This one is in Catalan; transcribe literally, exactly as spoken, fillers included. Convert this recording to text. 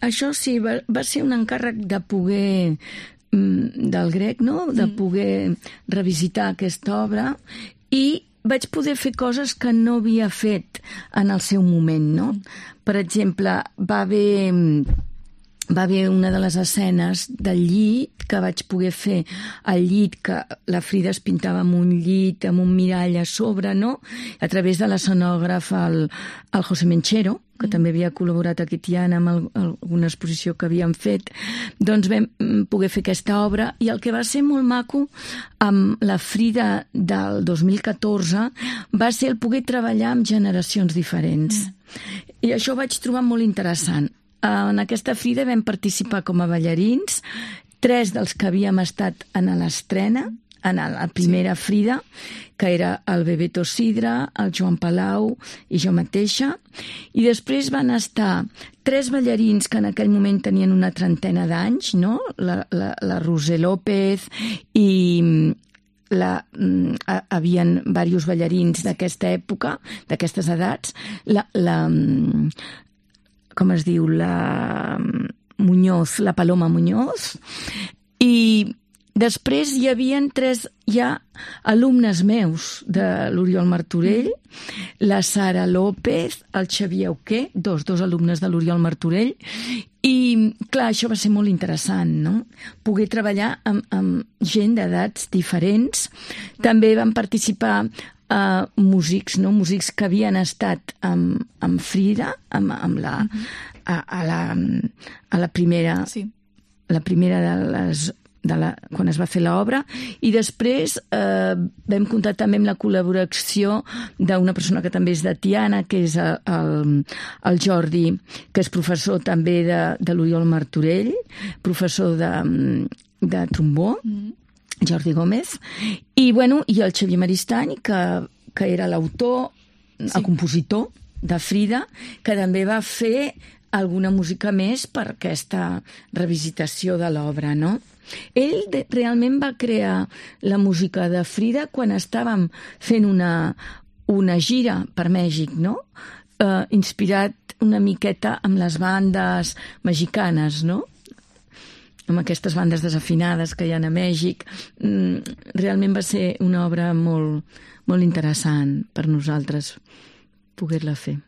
això sí, va, va ser un encàrrec de poder, del grec, no? De poder revisitar aquesta obra, i vaig poder fer coses que no havia fet en el seu moment, no? Per exemple, va haver... va haver una de les escenes del llit que vaig poder fer al llit, que la Frida es pintava amb un llit, amb un mirall a sobre, no? A través de l'escenògraf, el, el José Menchero, que mm. també havia col·laborat aquí a Tiana amb el, alguna exposició que havíem fet, doncs vam poder fer aquesta obra, i el que va ser molt maco amb la Frida del dos mil catorze va ser el poder treballar amb generacions diferents. Mm. I això ho vaig trobar molt interessant. En aquesta Frida vam participar com a ballarins, tres dels que havíem estat en l'estrena, en la primera sí. Frida, que era el Bebeto Sidra, el Joan Palau i jo mateixa, i després van estar tres ballarins que en aquell moment tenien una trentena d'anys, no? La, la, la Roser López i... La, uh, havien diversos ballarins d'aquesta època, d'aquestes edats, la, la, com es diu, la Muñoz, la Paloma Muñoz, i després hi havien tres ja alumnes meus de l'Oriol Martorell, la Sara López, el Xavier Auqué, dos, dos alumnes de l'Oriol Martorell, i clar, això va ser molt interessant, no? Poder treballar amb, amb gent d'edats diferents. També van participar uh, músics, no? Músics que havien estat amb, amb Frida, amb, amb la, a, a, la, a la primera, sí. la primera de les... De la, quan es va fer l'obra, i després eh, vam comptar també amb la col·laboració d'una persona que també és de Tiana, que és el, el, el Jordi, que és professor també de, de l'Oriol Martorell, professor de, de trombó, mm. Jordi Gómez, i, bueno, i el Xavier Maristany, que, que era l'autor, sí. el compositor de Frida, que també va fer alguna música més per aquesta revisitació de l'obra, no? Ell de, realment va crear la música de Frida quan estàvem fent una, una gira per Mèxic, no? Uh, inspirat una miqueta amb les bandes mexicanes, no? Amb aquestes bandes desafinades que hi ha a Mèxic. Mm, realment va ser una obra molt, molt interessant per nosaltres poder-la fer.